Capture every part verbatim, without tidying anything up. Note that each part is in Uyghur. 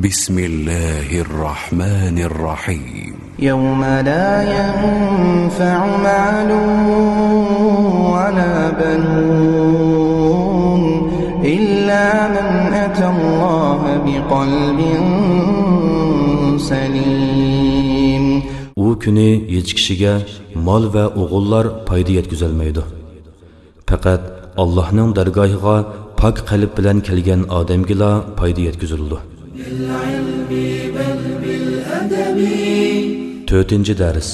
بسم الله الرحمن الرحيم. يوم لا ينفع مال ولا بنون إلا من أتى الله بقلب سليم. ئۇ كۈنى ھېچ كىشىگە مال ۋە ئوغۇللار پايدا يەتكۈزەلمەيدۇ. پەقەت ئاللاھنىڭ دەرگاھىغا پاك قەلب بىلەن كەلگەن ئادەمگىلا پايدا يەتكۈزۈلىدۇ. تۆتىنچى دەرس.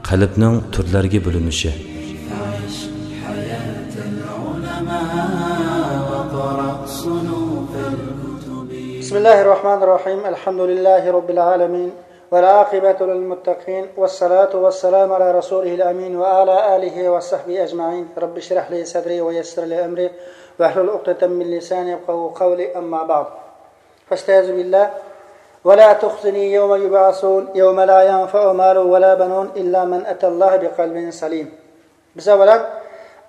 قەلبنىڭ تۈرلەرگە بۆلۈنۈشى. بسم الله الرحمن الرحيم. الحمد لله رب العالمين. والعاقبة للمتقين، والصلاة والسلام على رسوله الأمين وعلى آله وصحبه أجمعين. رب اشرح لي صدري ويسر لي أمري واحلل عقدة من لساني يفقهوا قولي. أما بعد. فاستعذ بالله. ولا تخزني يوم يبعثون، يوم لا ينفع مال ولا بنون إلا من أتى الله بقلب سليم. بىز ئەۋۋەلەن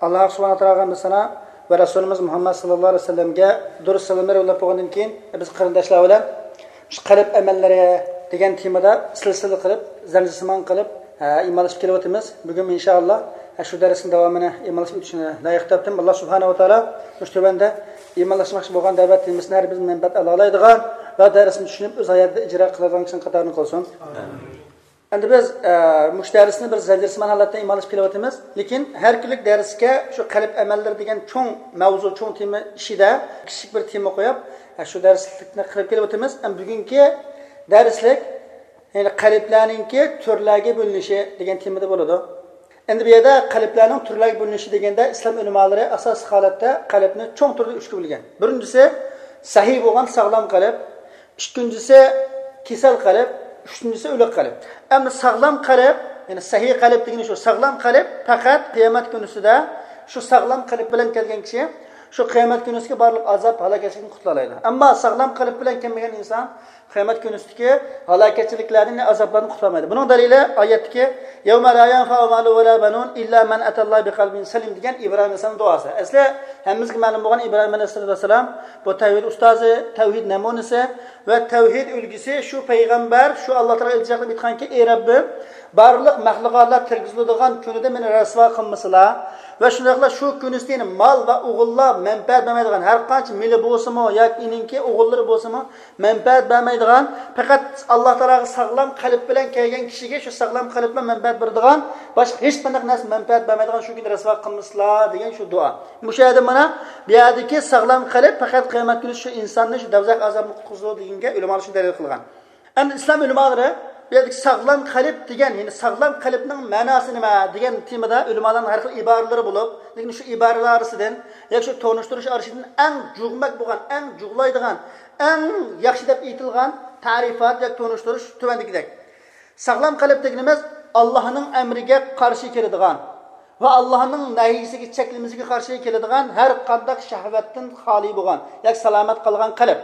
ئاللاھ سۇبھانەھۇ ۋە تائالاغا ھەمدۇ سانا ۋە رەسۇلىمىز مۇھەممەد ساللاللاھۇ ئەلەيھى ۋەسەللەمگە دۇرۇد سالاملار يوللاپ بولغاندىن كېيىن، بىز قېرىنداشلار بىلەن شۇ قەلب ئەمەللىرى دېگەن تېمىدا سىلسىلە قىلىپ، زەنجىرسىمان قىلىپ، ھە، ئىمانلىشىپ كېلىۋاتىمىز. بۈگۈن ئىنشائاللاھ، ھە، شۇ دەرسنىڭ داۋامىنى ئىمانلىشىپ ئۆتۈشنى لايىق تاپتىم. ئاللاھ سۇبھانەھۇ ۋە تائالا مۇشۇ تۆۋەندە ئىمانلاشماقچى بولغان دەۋەت تېمىسىنى ھەر بىرىمىز مەنپەئەت ئالالايدىغان ۋە دەرسنى چۈشىنىپ، ئۆز ھاياتىدا ئىجرا قىلىدىغان كىشىنىڭ قاتارىدىن قىلسۇن. ئەمدى بىز، ئە، مۇشۇ دەرسنى بىر زەنجىرسىمان ھالەتتە ئىمانلىشىپ كېلىۋاتىمىز. لېكىن ھەر كۈنلۈك دەرسكە شۇ قەلب ئەمەللىرى دېگەن چوڭ مەۋزۇ، چوڭ تېما ئىچىدە كىچىك بىر تېما قويۇپ، ئە، شۇ دەرسلىكنى قىلىپ كېلىۋاتىمىز. ئەمدى بۈگۈنكى دەرسلىك، يەنى قەلبلەرنىڭكى تۈرلەرگە بۆلۈنۈشى دېگەن تېمىدا بولىدۇ. ئەمدى بۇ يەردە قەلبلەرنىڭ تۈرلەرگە بۆلۈنۈشى دېگەندە، ئىسلام ئۆلىمالىرى ئاساسلىق ھالەتتە قەلبنى چوڭ تۈردە ئۈچكە بۆلگەن. بىرىنچىسى، سەھىھ بولغان ساغلام قەلب. ئىككىنچىسى، كېسەل قەلب. ئۈچىنچىسى، ئۆلۈك قەلب. ئەمدى ساغلام قەلب، يەنى سەھىھ قەلب دېگىنى شۇ، ساغلام قەلب پەقەت قىيامەت كۈنىسىدە شۇ ساغلام قەلب بىلەن كەلگەن كىشى شۇ قىيامەت كۈنىسىدىكى بارلىق ئازاب، ھالاكەتچىلىكتىن قۇتۇلالايدۇ. ئەمما ساغلام قەلب بىلەن كەلمىگەن ئىنسان قىيامەت كۈنىسىدىكى ھالاكەتچىلىكلەردىن، ئازابلاردىن قۇتۇلالمايدۇ. بۇنىڭ دەلىلى ئايەتتىكى، يَوْمَ لَا يَنْفَعُ مَالٌ وَلَا بَنُونَ إِلَّا مَنْ أَتَى اللَّهَ بِقَلْبٍ سَلِيمٍ دېگەن ئىبراھىم ئەلەيھىسسالامنىڭ دۇئاسى. ئەسلى ھەممىمىزگە مەلۇم بولغان ئىبراھىم ئەلەيھىسسالام بۇ تەۋھىد ئۇستازى، تەۋھىد نەمۇنىسى ۋە تەۋھىد ئۈلگىسى. شۇ پەيغەمبەر شۇ ئاللاھ تائالاغا ئىلتىجا قىلىپ ئېيتقانكى، ئەي رەببىم، بارلىق مەخلۇقاتلار تىرگۈزۈلىدىغان كۈنىدە مېنى رەسۋا قىلمىسىلا ۋە شۇنداقلا شۇ كۈنىسىدە مال ۋە ئوغۇللار مەنپەئەت بەرمەيدىغان، ھەر قانچە مېلى بولسىمۇ ياكى ئېنىڭكى ئوغۇللىرى بولسىمۇ مەنپەئەت بەرمەيدىغان، پەقەت ئاللاھ تائالاغا ساغلام قەلب بىلەن كەلگەن كىشىگە شۇ ساغلام قەلب بىلەن مەنپەئەت بېرىدىغان، باشقا ھېچقانداق نەرسە مەنپەئەت بەرمەيدىغان شۇ كۈنى رەسۋا قىلمىسىلا دېگەن شۇ دۇئا. مۇشۇ يەردە مانا بۇ يەردىكى ساغلام قەلب پەقەت قىيامەت كۈنى شۇ ئىنساننى شۇ دەۋزەخ ئازابىدىن قۇتقۇزىدۇ دېگەنگە ئۆلىمالار شۇ دەلىل قىلغان. ئەمدى ئىسلام ئۆلىمالىرى بۇ يەردىكى ساغلام قەلب دېگەن، يەنى ساغلام قەلبنىڭ مەناسى نېمە دېگەن تېمىدا ئۆلىمالارنىڭ ھەر خىل ئىبارىلىرى بولۇپ، لېكىن شۇ ئىبارىلەر ئارىسىدىن ياكى شۇ تونۇشتۇرۇش ئارىسىدىن ئەڭ جۇغمەك بولغان، ئەڭ جۇغلايدىغان، ئەڭ ياخشى دەپ ئېيتىلغان تەرىپات ياكى تونۇشتۇرۇش تۆۋەندىكىدەك. ساغلام قەلب دېگىنىمىز ئاللاھنىڭ ئەمرىگە قارشى كېلىدىغان ۋە ئاللاھنىڭ نەھيىسىگە، چەكلىمىسىگە قارشى كېلىدىغان ھەر قانداق شەھۋەتتىن خالىي بولغان ياكى سالامەت قالغان قەلب.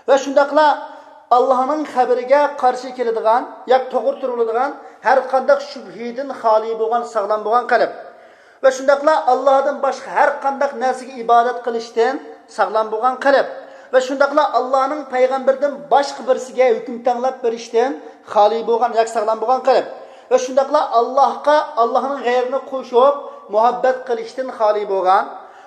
ۋە شۇنداقلا ئاللاھنىڭ خەبىرىگە قارشى كېلىدىغان ياكى توغرا تۇرۇلىدىغان ھەر قانداق شۈبھىدىن خالىي بولغان، ساغلام بولغان قەلب. ۋە شۇنداقلا ئاللاھدىن باشقا ھەر قانداق نەرسىگە ئىبادەت قىلىشتىن ساغلام بولغان قەلب. ۋە شۇنداقلا ئاللاھنىڭ پەيغەمبىرىدىن باشقا بىرسىگە ھۆكۈم تەڭلەپ بېرىشتىن خالىي بولغان ياكى ساغلام بولغان قەلب. ۋە شۇنداقلا ئاللاھقا ئاللاھنىڭ غەيرىنى قوشۇپ مۇھەببەت قىلىشتىن خالىي بولغان،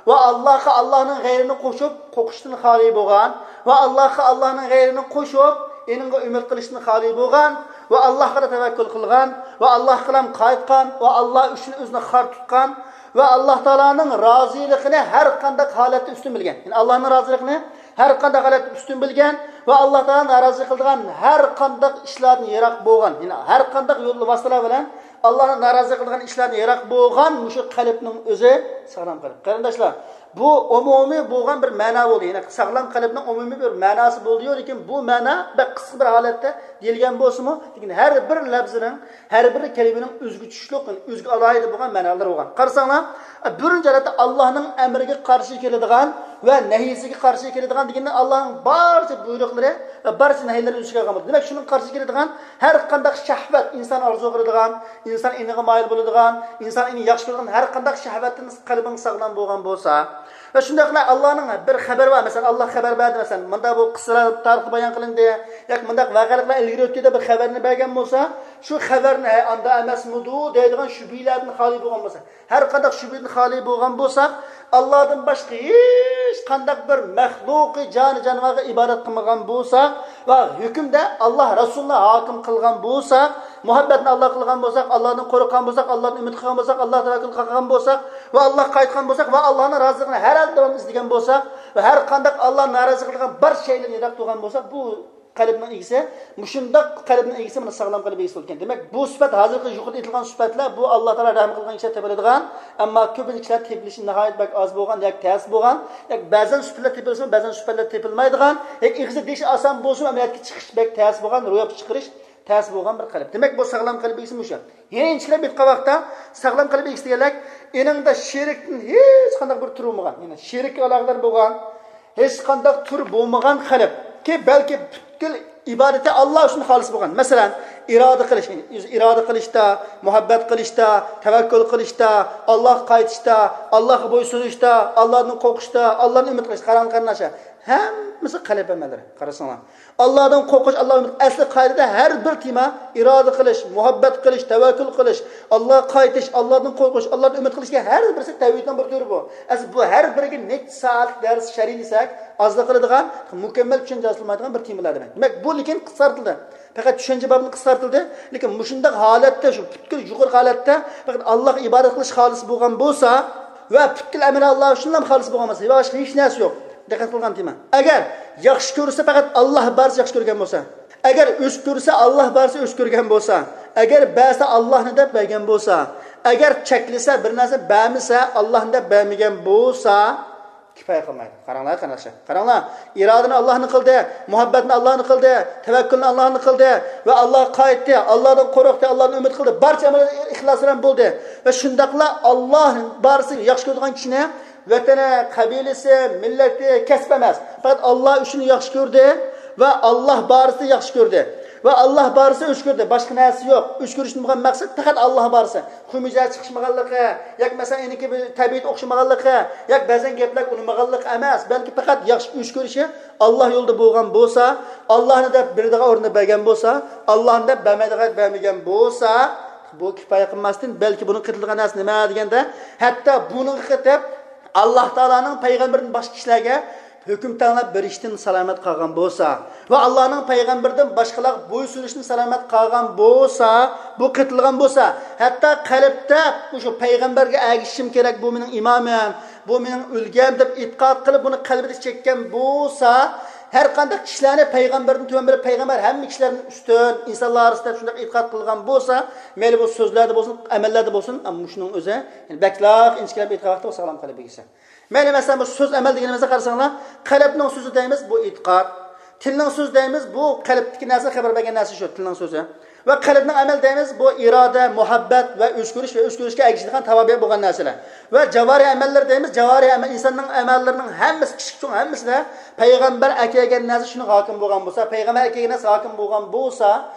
ۋە ئاللاھقا ئاللاھنىڭ غەيرىنى قوشۇپ قورقۇشتىن خالىي بولغان، ۋە ئاللاھقا ئاللاھنىڭ غەيرىنى قوشۇپ ئېنىڭغا ئۈمىد قىلىشتىن خالىي بولغان، ۋە ئاللاھقا تەۋەككۈل قىلغان، ۋە ئاللاھقىلا قايتقان، ۋە ئاللاھ ئۈچۈن ئۆزىنى خار تۇتقان، ۋە ئاللاھ تائالانىڭ رازىلىقىنى ھەر قانداق ھالەتتە ئۈستۈن بىلگەن. يەنى ئاللاھنىڭ رازىلىقىنى ھەر قانداق ھالەتتە ئۈستۈن بىلگەن ۋە ئاللاھ تائالانى نارازى قىلىدىغان ھەر قانداق ئىشلاردىن يىراق بولغان. يەنى ھەر قانداق يول ۋاسىتىلەر بىلەن ئاللاھنى نارازى قىلىدىغان ئىشلاردىن يىراق بولغان مۇشۇ قەلبنىڭ ئۆزى ساغلام قەلب. قېرىنداشلار، بۇ ئومۇمىي بولغان بىر مەنا بولدى. يەنى ساغلام قەلبنىڭ ئومۇمىي بىر مەناسى بولدى-يۇ، لېكىن بۇ مەنا بەك قىسقا بىر ھالەتتە دېيىلگەن بولسىمۇ، لېكىن ھەر بىر لەپزىنىڭ، ھەر بىر كەلىمىنىڭ ئۆزگە چۈشلۈك، ئۆزگە ئالاھىدە بولغان مەنالىرى بولغان. قارىساڭلار، بىرىنچى ھالەتتە ئاللاھنىڭ ئەمرىگە قارشى كېلىدىغان ۋە نەھيىسىگە قارشى كېلىدىغان دېگەندە، ئاللاھنىڭ بارچە بۇيرۇقلىرى ۋە بارچە نەھيلىرى ئۆز ئىچىگە ئالغان بولىدۇ. دېمەك، شۇنىڭغا قارشى كېلىدىغان ھەر قانداق شەھۋەت، ئىنسان ئارزۇ قىلىدىغان، ئىنسان ئېنىغا مايىل بولىدىغان، ئىنسان ئېنى ياخشى كۆرىدىغان ھەر قانداق شەھۋەتتىن قەلبىڭ ساغلام بولغان بولسا، ۋە شۇنداقلا ئاللانىڭ بىر خەۋىرى بار، مەسىلەن، ئاللا خەۋەر بەردى، مەسىلەن، مۇنداق بۇ قىسسىلار تارىختا بايان قىلىندى ياكى مۇنداق ۋەقەلىقلار ئىلگىرى ئۆتتى دەپ بىر خەۋەرنى بەرگەن بولسا، شۇ خەۋەرنى، ھە، ئاندا ئەمەسمىدۇ دەيدىغان شۈبھىلەردىن خالىي بولغان بولسا، ھەر قانداق شۈبھىدىن خالىي بولغان بولساق، ئاللادىن باشقا ھېچ قانداق بىر مەخلۇقى جانى جانىۋارغا ئىبادەت قىلمىغان بولساق ۋە ھۆكۈمدە ئاللا رەسۇلنى ھاكىم قىلغان بولساق، مۇھەببەتنى ئاللا قىلغان بولساق، ئاللادىن قورققان بولساق، ئاللادىن ئۈمىد قىلغان بولساق، ئاللا تەۋەككۈل قىلغان بولساق ۋە ئاللاغا قايتقان بولساق ۋە ئاللانىڭ رازىلىقىنى ھەر ھالدا داۋام ئىزدىگەن بولساق ۋە ھەر قانداق ئاللانى نارازى قىلىدىغان بار شەيلەردىن يىراق تۇرغان بولساق، بۇ قەلبنىڭ ئىگىسى، مۇشۇنداق قەلبنىڭ ئىگىسى مانا ساغلام قەلب ئىگىسى بولىدىكەن. دېمەك، بۇ سۈپەت ھازىرقى يۇقىرىدا ئېيتىلغان سۈپەتلەر بۇ ئاللا تائالا رەھىم قىلغان كىشىلەر تېپىلىدىغان، ئەمما كۆپىنچە كىشىلەر تېپىلىشى ناھايىتى بەك ئاز بولغان ياكى تەس بولغان، ياكى بەزەن سۈپەتلەر تېپىلسىمۇ، بەزەن سۈپەتلەر تېپىلمايدىغان، ياكى ئېغىزدا دېيىش ئاسان بولسىمۇ، ئەمەلىيەتكە چىقىش بەك تەس بولغان، روياپقا چىقىرىش تەس بولغان بىر قەلب. دېمەك، بۇ ساغلام قەلب ئىگىسى مۇشۇ. يەنە ئىنچىكىلەپ ئېيتقان ۋاقىتتا، ساغلام قەلب ئىگىسى دېگەنلەر ئېنىڭدا شېرىكتىن ھېچقانداق بىر تۈر بولمىغان، يەنى شېرىككە ئالاقىدار بولغان، ھېچقانداق تۈر بولمىغان قەلب. كى بەلكى پۈتكۈل ئىبادىتى ئاللا ئۈچۈن خالىس بولغان. مەسىلەن، ئىرادە قىلىش، ئۆزى ئىرادە قىلىشتا، مۇھەببەت قىلىشتا، تەۋەككۈل قىلىشتا، ئاللاغا قايتىشتا، ئاللاغا بويسۇنۇشتا، ئاللادىن قورقۇشتا، ئاللادىن ئۈمىد قىلىشتا، قاراڭ قېرىنداشلار، ھەممىسى قەلب ئەمەللىرى. قارىساڭلار، ئاللادىن قورقۇش، ئاللاغا ئۈمىد، ئەسلى قائىدىدە ھەر بىر تېما، ئىرادە قىلىش، مۇھەببەت قىلىش، تەۋەككۈل قىلىش، ئاللاغا قايتىش، ئاللادىن قورقۇش، ئاللادىن ئۈمىد قىلىشكە ھەر بىرسى تەۋھىدنىڭ بىر تۈرى بۇ. ئەسلى بۇ ھەر بىرىگە نەچچە سائەتلىك دەرس شەرھلىسەك، ئازلا قىلىدىغان، مۇكەممەل چۈشەنچە ھاسىل قىلمايدىغان بىر تېمىلار دېمەك. دېمەك، بۇ لېكىن قىسقارتىلدى. پەقەت چۈشەنچە بابىنى قىسقارتىلدى. لېكىن مۇشۇنداق ھالەتتە، شۇ پۈتكۈل يۇقىرىقى ھالەتتە پەقەت ئاللاغا ئىبادەت قىلىش خالىس بولغان بولسا ۋە پۈتكۈل ئەمەل ئاللا ئۈچۈنلا خالىس بولغان بولسا، باشقا ھېچ نەرسە يوق. دىققەت قىلغان تېما. ئەگەر ياخشى كۆرسە، پەقەت ئاللا بارىسى ياخشى كۆرگەن بولسا، ئەگەر ئۆچ كۆرسە، ئاللا بارىسى ئۆچ كۆرگەن بولسا، ئەگەر بەرسە، ئاللانى دەپ بەرگەن بولسا، ئەگەر چەكلىسە، بىر نەرسە بەرمىسە، ئاللانى دەپ بەرمىگەن بولسا، كۇپايە قىلمايدۇ. قاراڭلار، قېرىنداشلار، قاراڭلار. ئىرادىنى ئاللانى قىلدى، مۇھەببەتنى ئاللانى قىلدى، تەۋەككۈلنى ئاللانى قىلدى ۋە ئاللاغا قايتتى، ئاللادىن قورقتى، ئاللادىن ئۈمىد قىلدى. بارچە ئەمەل ئىخلاس بىلەن بولدى. ۋە شۇنداقلا ئاللا بارىسى ياخشى كۆرىدىغان كىشىنى ۋەتىنى، قەبىلىسى، مىللىتى، كەسپى ئەمەس، پەقەت ئاللا ئۈچۈن ياخشى كۆردى ۋە ئاللا بارىسى ياخشى كۆردى ۋە ئاللا بارىسى ئۆچ كۆردى. باشقا نەرسە يوق. ئۆچ كۆرۈشتىن بولغان مەقسەت پەقەت ئاللا بارىسى. خۇمۇزە چىقىشمىغانلىقى، ياكى مەسىلەن ئېنىكى بىر تەبىئەت ئوخشىمىغانلىقى، ياكى بەزەن گەپلەر ئۇنىمىغانلىقى ئەمەس، بەلكى پەقەت ياخشى ئۆچ كۆرۈشى ئاللا يولىدا بولغان بولسا، ئاللانى دەپ بېرىدىغان ئورنىدا بەرگەن بولسا، ئاللانى دەپ بەرمەيدىغان بەرمىگەن بولسا، بۇ كۇپايە قىلماستىن، بەلكى بۇنىڭ قېتىلىدىغان نەرسە نېمە دېگەندە، ھەتتا بۇنىڭغا قېتىپ، ئاللا تائالانىڭ پەيغەمبىرىدىن باشقا كىشىلەرگە ھۆكۈم تەڭلەپ بېرىشتىن سالامەت قالغان بولسا ۋە ئاللانىڭ پەيغەمبىرىدىن باشقىلارغا بويسۇنۇشتىن سالامەت قالغان بولسا، بۇ قېتىلغان بولسا، ھەتتا قەلبتە مۇشۇ پەيغەمبەرگە ئەگىشىشىم كېرەك، بۇ مېنىڭ ئىمامىم، بۇ مېنىڭ ئۈلگەم دەپ ئېتىقاد قىلىپ، بۇنى قەلبىدە چەككەن بولسا، ھەر قانداق كىشىلەرنى پەيغەمبەردىن تۆۋەن بىلىپ، پەيغەمبەر ھەممە كىشىلەردىن ئۈستۈن، ئىنسانلار ئارىسىدا دەپ شۇنداق ئېتىقاد قىلغان بولسا، مەيلى بۇ سۆزلەردە بولسۇن، ئەمەللەردە بولسۇن، ئەمما مۇشۇنىڭ ئۆزى، يەنى بەكلا ئىنچىكىلەپ ئېيتقان ۋاقىتتا بۇ ساغلام قەلب ئىگىسى. مەيلى، مەسىلەن، بۇ سۆز ئەمەل دېگىنىمىزدە قارىساڭلار، قەلبنىڭ سۆزى دەيمىز، بۇ ئېتىقاد. تىلنىڭ سۆزى دەيمىز، بۇ قەلبتىكى نەرسە، خەۋەر بەرگەن نەرسە شۇ، تىلنىڭ سۆزى. ۋە قەلبنىڭ ئەمەل دەيمىز، بۇ ئىرادە، مۇھەببەت ۋە ئۆچ كۆرۈش ۋە ئۆچ كۆرۈشكە ئەگىشىدىغان تاۋابىئ بولغان نەرسىلەر. ۋە جاۋارىھ ئەمەللىرى دەيمىز، جاۋارىھ ئەمەل، ئىنساننىڭ ئەمەللىرىنىڭ ھەممىسى، كىچىك چوڭ ھەممىسىدە پەيغەمبەر ئەكەلگەن نەرسە شۇنىڭ ھاكىم بولغان بولسا، پەيغەمبەر ئەكەلگەن نەرسە ھاكىم بولغان بولسا،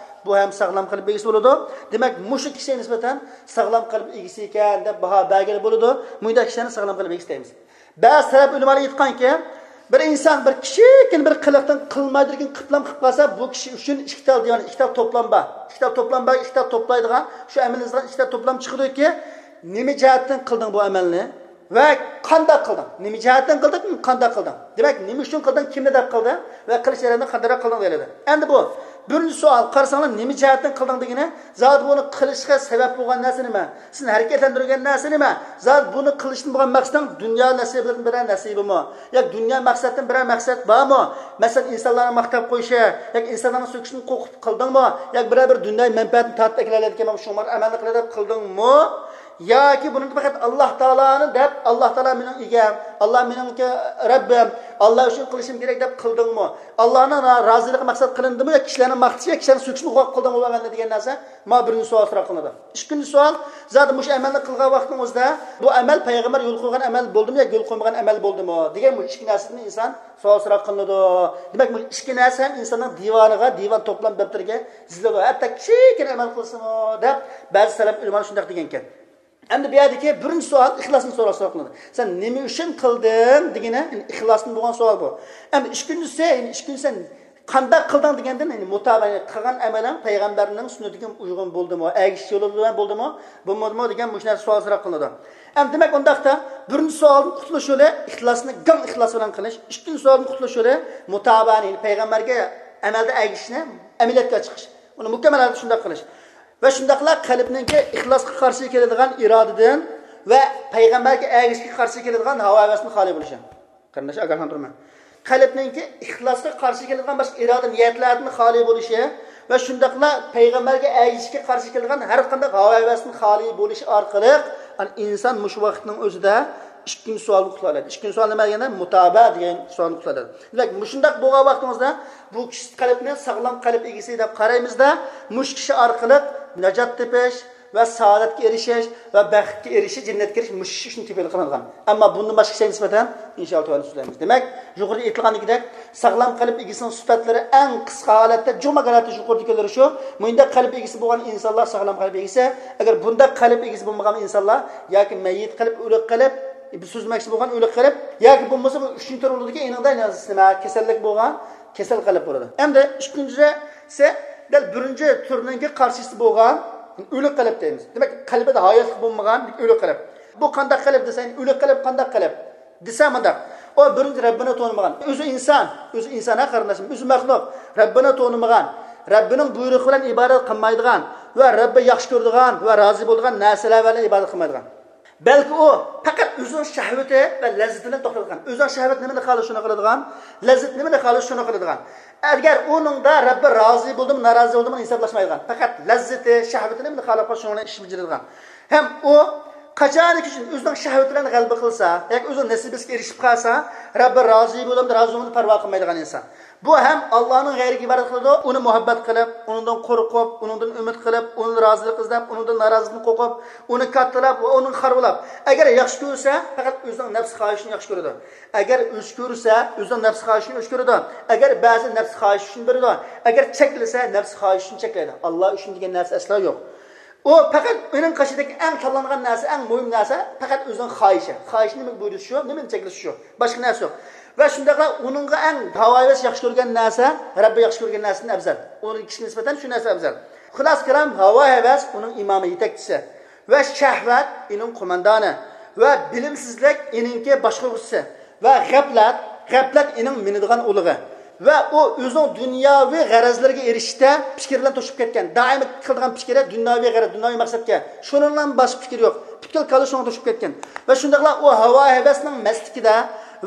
بۇ ھەم ساغلام قەلب ئىگىسى بولىدۇ. دېمەك، مۇشۇ كىشىگە نىسبەتەن ساغلام قەلب ئىگىسى ئىكەن دەپ باھا بەرگىلى بولىدۇ. مۇنداق كىشىلەرنى ساغلام قەلب ئىگىسى دەيمىز. بەزى سەلەپ ئۆلىمالار ئېيتقانكى، بىر ئىنسان بىر كىچىككىنە بىر قىلىقتىن قىلمايدىكىن قىپلام قىلىپ قالسا، بۇ كىشى ئۈچۈن ئىككى تال دىۋان، ئىككى تال توپلام بار. ئىككى تال توپلام بار، ئىككى تال توپلايدىغان، شۇ ئەمەلنى يازغان ئىككى تال توپلام چىقىدۇكى، نېمە جەھەتتىن قىلدىڭ بۇ ئەمەلنى؟ ۋە قانداق قىلدىڭ؟ نېمە جەھەتتىن قىلدىڭ؟ قانداق قىلدىڭ؟ دېمەك، نېمە ئۈچۈن قىلدىڭ؟ كىمنى دەپ قىلدىڭ؟ ۋە قىلىش جەريانىدا قانداقراق قىلدىڭ دېيىلىدۇ. ئەمدى بۇ بىرىنچى سوئال، قارىساڭلار، نېمە جەھەتتىن قىلدىڭ دېگىنى، زادى بۇنى قىلىشقا سەۋەب بولغان نەرسە نېمە؟ سېنى ھەرىكەتلەندۈرگەن نەرسە نېمە؟ زادى بۇنى قىلىشتىن بولغان مەقسىتىڭ دۇنيا نەسىبىدىن بىرەر نەسىبىمۇ؟ ياكى دۇنيا مەقسەتتىن بىرەر مەقسەت بارمۇ؟ مەسىلەن، ئىنسانلارنى ماختاپ قويۇشى، ياكى ئىنسانلارنىڭ سۆكۈشىدىن قورقۇپ قىلدىڭمۇ؟ ياكى بىرەر بىر دۇنياۋى مەنپەئەتنى تارتىپ ئەكېلەلەيدىكەنمەن، شۇڭا ئەمەلنى قىلىي دەپ قىلدىڭمۇ؟ ياكى بۇنى پەقەت ئاللا تائالانى دەپ، ئاللا تائالا مېنىڭ ئىگەم، ئاللا مېنىڭكى رەببىم، ئاللا ئۈچۈن قىلىشىم كېرەك دەپ قىلدىڭمۇ؟ ئاللانىڭ را-، رازىلىقى مەقسەت قىلىندىمۇ ياكى كىشىلەرنى ماختىشى ياكى كىشىلەرنى سۆكۈشنى قىلدىڭمۇ بۇ ئەمەلنى دېگەن نەرسە، مانا بىرىنچى سوئال سوراق قىلىنىدۇ. ئىككىنچى سوئال، زادى مۇشۇ ئەمەلنى قىلغان ۋاقىتنىڭ ئۆزىدە بۇ ئەمەل پەيغەمبەر يول قويغان ئەمەل بولدىمۇ ياكى يول قويمىغان ئەمەل بولدىمۇ دېگەن بۇ ئىككى نەرسىدىن ئىنسان سوئال سوراق قىلىنىدۇ. دېمەك، بۇ ئىككى نەرسە ھەم ئىنساننىڭ دىۋانىغا، دىۋان توپلام دەپتىرىگە يېزىلىدۇ. ھەتتا كىچىككىنە ئەمەل قىلسىمۇ دەپ بەزى سەلەپ ئۆلىمالار شۇنداق دېگەنكەن. ئەمدى بۇ يەردىكى بىرىنچى سوئال ئىخلاسنى سوراش سوئال قىلىنىدى. سەن نېمە ئۈچۈن قىلدىڭ دېگىنى، يەنى ئىخلاستىن بولغان سوئال بۇ. ئەمدى ئىككىنچىسى، يەنى ئىككىنچى سەن قانداق قىلدىڭ دېگەندىن، يەنى مۇتابە، يەنى قىلغان ئەمىلىڭ پەيغەمبەرنىڭ سۈننىتىگە ئۇيغۇن بولدىمۇ، ئەگىشىش يولى بىلەن بولدىمۇ، بولمىدىمۇ دېگەن مۇشۇ نەرسە سوئال سوراق قىلىنىدۇ. ئەمدى دېمەك ئۇنداقتا بىرىنچى سوئالدىن قۇتۇلۇش يولى ئىخلاسنى، گاڭ ئىخلاس بىلەن قىلىش. ئىككىنچى سوئالدىن قۇتۇلۇش يولى مۇتابەنى، يەنى پەيغەمبەرگە ئەمەلدە ئەگىشىشنى ئەمەلىيەتكە چىقىش. ئۇنى مۇكەممەل ھالەتتە شۇنداق قىلىش. ۋە شۇنداقلا قەلبنىڭكى ئىخلاسقا قارشى كېلىدىغان ئىرادىدىن ۋە پەيغەمبەرگە ئەگىشىشكە قارشى كېلىدىغان ھاۋا ھەۋەستىن خالىي بولۇشى. قېرىنداش، ئاگاھلاندۇرىمەن. قەلبنىڭكى ئىخلاسقا قارشى كېلىدىغان باشقا ئىرادە نىيەتلەردىن خالىي بولۇشى ۋە شۇنداقلا پەيغەمبەرگە ئەگىشىشكە قارشى كېلىدىغان ھەر قانداق ھاۋا ھەۋەستىن خالىي بولۇشى ئارقىلىق، ئىنسان مۇشۇ ۋاقىتنىڭ ئۆزىدە ئىككىنچى سوئالغا قۇتۇلالايدۇ. ئىككىنچى سوئال نېمە دېگەندە، مۇتابە دېگەن سوئالغا قۇتۇلالايدۇ. دېمەك، مۇشۇنداق بولغان ۋاقتىمىزدا بۇ كىشى قەلبنى ساغلام قەلب ئىگىسى دەپ قارايمىزدا، مۇشۇ كىشى ئارقىلىق ناجات تېپىش ۋە سائادەتكە ئېرىشىش ۋە بەختكە ئېرىشىش، جەننەتكە كىرىش مۇشۇ ئىش ئۈچۈن تېپىلغان قىلىنغان. ئەمما بۇندىن باشقا كىشىگە نىسبەتەن ئىنشائاللا تۆۋەندە سۆزلەيمىز. دېمەك، يۇقىرىدا ئېيتىلغاندىكىدەك، ساغلام قەلب ئىگىسىنىڭ سۈپەتلىرى ئەڭ قىسقا ھالەتتە، جۇماق ھالەتتە يۇقىرىدىكىلىرى شۇ. مۇنداق قەلب ئىگىسى بولغان ئىنسانلار ساغلام قەلب ئىگىسى. ئەگەر بۇنداق قەلب ئىگىسى بولمىغان ئىنسانلار ياكى مەييىت قەلب، ئۆلۈك قەلب، بىز سۆزلىمەكچى بولغان ئۆلۈك قەلب، ياكى بولمىسا بۇ ئۈچىنچى تۈر بولىدىكەن، ئېنىڭدا نېمە كېسەللىك بولغان، كېسەل قەلب بولىدۇ. ئەمدى ئىككىنچىسى، دەل بىرىنچى تۈرنىڭكى قارشىسى بولغان ئۆلۈك قەلب دەيمىز. دېمەك، قەلبىدە ھاياتلىق بولمىغان ئۆلۈك قەلب. بۇ قانداق قەلب دېسەڭ، ئۆلۈك قەلب قانداق قەلب دېسە مۇنداق. ئۇ بىرىنچى رەببىنى تونۇمىغان. ئۆزى ئىنسان، ئۆزى ئىنسان ھە قېرىنداشلىرىم، ئۆزى مەخلۇق. رەببىنى تونۇمىغان، رەببىنىڭ بۇيرۇقى بىلەن ئىبادەت قىلمايدىغان ۋە رەببى ياخشى كۆرىدىغان ۋە رازى بولىدىغان نەرسىلەر بىلەن ئىبادەت قىلمايدىغان. بەلكى ئۇ پەقەت ئۆزىنىڭ شەھۋىتى ۋە لەززىتىنى توختىتىدىغان. ئۆزىنىڭ شەھۋىتى نېمىنى خالىسا، شۇنى قىلىدىغان. لەززىتى نېمىنى خالىسا، شۇنى قىلىدىغان. ئەگەر ئۇنىڭدا رەببى رازى بولدىمۇ، نارازى بولدىمۇ ھېسابلاشمايدىغان. پەقەت لەززىتى، شەھۋىتى نېمىنى خالىسا، شۇنىڭ بىلەن ئىش بېجىرىدىغان. ھەم ئۇ قاچانكى ئۈچۈن ئۆزىنىڭ شەھۋىتى بىلەن غەلىبە قىلسا ياكى ئۆزىنىڭ نېسىبىسىگە ئېرىشىپ قالسا، رەببى رازى بولامدۇ، رازى بولمامدۇ پەرۋا قىلمايدىغان ئىنسان. بۇ ھەم ئاللانىڭ غەيرىگە ئىبادەت قىلىدۇ، ئۇنى مۇھەببەت قىلىپ، ئۇنىڭدىن قورقۇپ، ئۇنىڭدىن ئۈمىد قىلىپ، ئۇنىڭدىن رازىلىق ئىزدەپ، ئۇنىڭدىن نارازىلىقتىن قورقۇپ، ئۇنى كاتتىلاپ ۋە ئۇنى خارۋىلاپ. ئەگەر ياخشى كۆرسە، پەقەت ئۆزىنىڭ نەپس خاھىشىنى ياخشى كۆرىدۇ. ئەگەر ئۆچ كۆرسە، ئۆزىنىڭ نەپس خاھىشىنى ئۆچ كۆرىدۇ. ئەگەر بەزى نەپس خاھىشى ئۈچۈن بېرىدۇ. ئەگەر چەكلىسە، نەپس خاھىشى ئۈچۈن چەكلەيدۇ. ئاللا ئۈچۈن دېگەن نەرسە ئەسلا يوق. ئۇ پەقەت ئۇنىڭ قېشىدىكى ئەڭ تاللانغان نەرسە، ئەڭ مۇھىم نەرسە پەقەت ئۆزىنىڭ خاھىشى. خاھىشىنى نېمىگە بۇيرۇتۇشى شۇ، نېمىنى چەكلىشى شۇ. باشقا نەرسە يوق. ۋە شۇنداقلا ئۇنىڭغا ئەڭ ھاۋا ھەۋەس ياخشى كۆرگەن نەرسە، رەببى ياخشى كۆرگەن نەرسىدىن ئەۋزەل. ئۇنىڭ كىشىگە نىسبەتەن شۇ نەرسە ئەۋزەل. خۇلاسە كالام، ھاۋا ھەۋەس ئۇنىڭ ئىمامى، يېتەكچىسى. ۋە شەھۋەت ئېنىڭ قوماندانى ۋە بىلىمسىزلىك ئېنىڭكى باشقۇرغۇچىسى ۋە غەپلەت، غەپلەت ئېنىڭ مىنىدىغان ئۇلىغى. ۋە ئۇ ئۆزىنىڭ دۇنياۋى غەرەزلىرىگە ئېرىشىشتە پىكىر بىلەن توشۇپ كەتكەن. دائىم قىلىدىغان پىكرى دۇنياۋى غەرەز، دۇنياۋى مەقسەتكە. شۇنىڭدىن باشقا پىكرى يوق. پۈتكۈل كاللىسى شۇنىڭغا توشۇپ كەتكەن. ۋە شۇنداقلا ئۇ ھاۋا ھەۋەسنىڭ مەستلىكىدە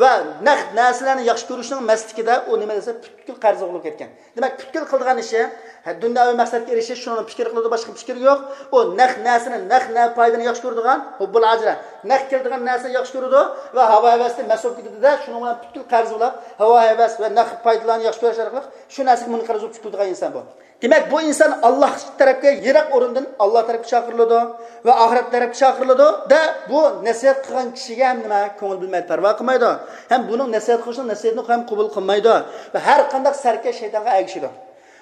ۋە نەق نەرسىلەرنى ياخشى كۆرۈشنىڭ مەستلىكىدە ئۇ نېمە دېسە پۈتكۈل قەرزى بولۇپ كەتكەن. دېمەك، پۈتكۈل قىلىدىغان ئىشى، ھە، دۇنياۋى مەقسەتكە ئېرىشىش، شۇنىڭ پىكرى قىلىدۇ، باشقا پىكرى يوق. ئۇ نەق نەرسىنى، نەق نە پايدىنى ياخشى كۆرىدىغان، ھۇببۇل ئاجىلە، نەق كېلىدىغان نەرسىنى ياخشى كۆرىدۇ ۋە ھاۋا ھەۋەستىن مەست بولۇپ كېتىدۇ-دە، شۇنىڭ بىلەن پۈتكۈل قەرز بولاپ، ھاۋا ھەۋەس ۋە نەق پايدىلارنى ياخشى كۆرۈش ئارقىلىق شۇ نەرسىگە مۇنقەرز بولۇپ چۈشۈپ كېتىدىغان ئىنسان بۇ. دېمەك، بۇ ئىنسان ئاللا تەرەپكە يىراق ئورۇندىن ئاللا تەرەپكە چاقىرىلىدۇ ۋە ئاخىرەت تەرەپكە چاقىرىلىدۇ-دە، بۇ نەسىھەت قىلغان كىشىگە ھەم نېمە كۆڭۈل بۆلمەيدۇ، پەرۋا قىلمايدۇ. ھەم بۇنىڭ نەسىھەت قىلىشىنىڭ نەسىھەتىنى ھەم قوبۇل قىلمايدۇ ۋە ھەر قانداق سەركەش شەيتانغا ئەگىشىدۇ.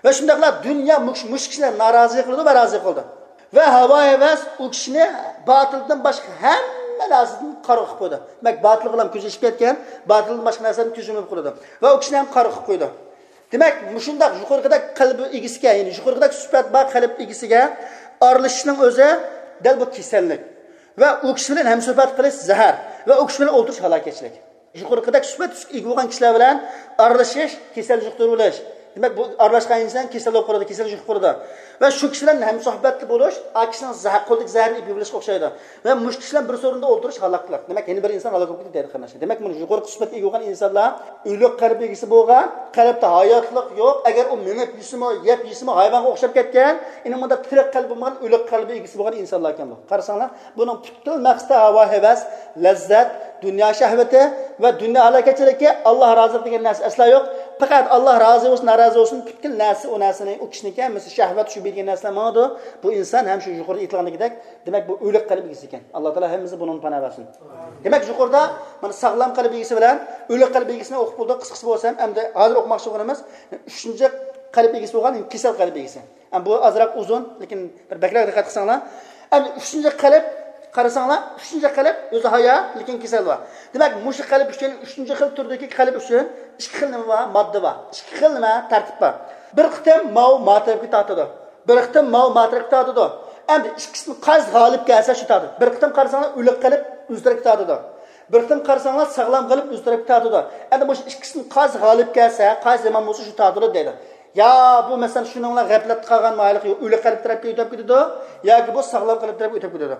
ۋە شۇنداقلا دۇنيا مۇش-، مۇشۇ كىشىنى نارازى قىلىدۇ ۋە رازى قىلىدۇ. ۋە ھاۋا ھەۋەس ئۇ كىشىنى باتىلدىن باشقا ھەممە نەرسىدىن قارا قىلىپ قويىدۇ. دېمەك، باتىلغا كۆزى ئېچىپ كەتكەن، باتىلدىن باشقا نەرسىدىن كۆزى يۇمۇپ قويىدۇ. ۋە ئۇ كىشىنى ھەم قارا قىلىپ قويىدۇ. دېمەك، مۇشۇنداق يۇقىرىقىدەك قەلبى ئىگىسىگە، يەنى يۇقىرىقىدەك سۈپەت بار قەلب ئىگىسىگە ئارىلىشىشنىڭ ئۆزى دەل بۇ كېسەللىك. ۋە ئۇ كىشى بىلەن ھەمسۆھبەت قىلىش زەھەر. ۋە ئۇ كىشى بىلەن ئولتۇرۇش ھالاكەتچىلىك. يۇقىرىقىدەك سۈپەت ئىگە بولغان كىشىلەر بىلەن ئارىلىشىش، كېسەل يۇقتۇرۇۋېلىش. دېمەك، بۇ ئارىلاشقان ئىنسان كېسەل بولۇپ قالىدۇ، كېسەل يۇقۇپ قالىدۇ. ۋە شۇ كىشى بىلەن ھەمسۆھبەتتە بولۇش، ئا كىشىنىڭ زەھەر، قولىدىكى زەھەرنى ئېلىپ يېيىۋېلىشقا ئوخشايدۇ. ۋە مۇشۇ كىشى بىلەن بىر سورۇندا ئولتۇرۇش ھالاك قىلار. دېمەك، يەنە بىر ئىنسان ھالاك بولۇپ كېتىدۇ، دەيدۇ قېرىنداشلار. دېمەك، مانا يۇقىرىقى سۈپەتكە ئىگە بولغان ئىنسانلار ئۆلۈك قەلب ئىگىسى بولغان، قەلبتە ھاياتلىق يوق. ئەگەر ئۇ مېڭىپ يېسىمۇ، يەپ يېسىمۇ، ھايۋانغا ئوخشاپ كەتكەن، ئېنى مۇنداق تىرىك قەلبى بولمىغان ئۆلۈك قەلبى ئىگىسى بولغان ئىنسانلار ئىكەن بۇ. قارىساڭلار، بۇنىڭ پۈتكۈل مەقسىتى ھاۋا ھەۋەس، لەززەت، دۇنيا شەھۋىتى ۋە دۇنيا ھالاكەتچىلىكى، ئاللا رازىلىقى دېگەن نەرسە ئەسلا يوق. پەقەت ئاللا رازى بولسۇن، نارازى بولسۇن، پۈتكۈل نەرسە ئۇ نەرسىنى، ئۇ كىشىنىڭكى ھەممىسى شەھۋەت، شۇ بىلگەن نەرسىلەر ماڭىدۇ. بۇ ئىنسان ھەم شۇ يۇقىرىدا ئېيتىلغاندىكىدەك، دېمەك، بۇ ئۆلۈك قەلب ئىگىسى ئىكەن. ئاللا تائالا ھەممىمىزنى بۇنىڭدىن پاناھ بەرسۇن. دېمەك، يۇقىرىدا مانا ساغلام قەلب ئىگىسى بىلەن ئۆلۈك قەلب ئىگىسىنى ئوقۇپ بولدۇق. قىسقىسى بولسا ھەم، ئەمدى ھازىر ئوقۇماقچى بولغىنىمىز ئۈچىنچى قەلب ئىگىسى بولغان كېسەل قەلب ئىگىسى. ئەمما بۇ ئازراق ئۇزۇن، لېكىن بىر بەكرەك دىققەت قىلساڭلار. ئەمدى ئۈچىنچى قەلب قارىساڭلار، ئۈچىنچى قەلب ئۆزى ھايا، لېكىن كېسەل بار. دېمەك، مۇشۇ قەلب ئۈچۈن، ئۈچىنچى خىل تۈردىكى قەلب ئۈچۈن ئىككى خىل نېمە بار؟ ماددا بار. ئىككى خىل نېمە؟ تەرتىپ بار. بىر قېتىم ماۋۇ ما تەرەپكە تارتىدۇ. بىر قېتىم ماۋۇ ما تەرەپكە تارتىدۇ. ئەمدى ئىككىسىدىن قايسى غالىب كەلسە، شۇ تارتىدۇ. بىر قېتىم قارىساڭلار، ئۆلۈك قەلب ئۆز تەرەپكە تارتىدۇ. بىر قېتىم قارىساڭلار، ساغلام قەلب ئۆز تەرەپكە تارتىدۇ. ئەمدى مۇشۇ ئىككىسىدىن قايسى غالىب كەلسە، قايسى يامان بولسا، شۇ تارتىلىدۇ دەيدۇ. يا بۇ، مەسىلەن، شۇنىڭلا غەپلەتتە قالغان مايىللىق ئۆلۈك قەلب تەرەپكە ئۆتۈپ كېتىدۇ، ياكى بۇ ساغلام قەلب تەرەپكە ئۆتۈپ كېتىدۇ.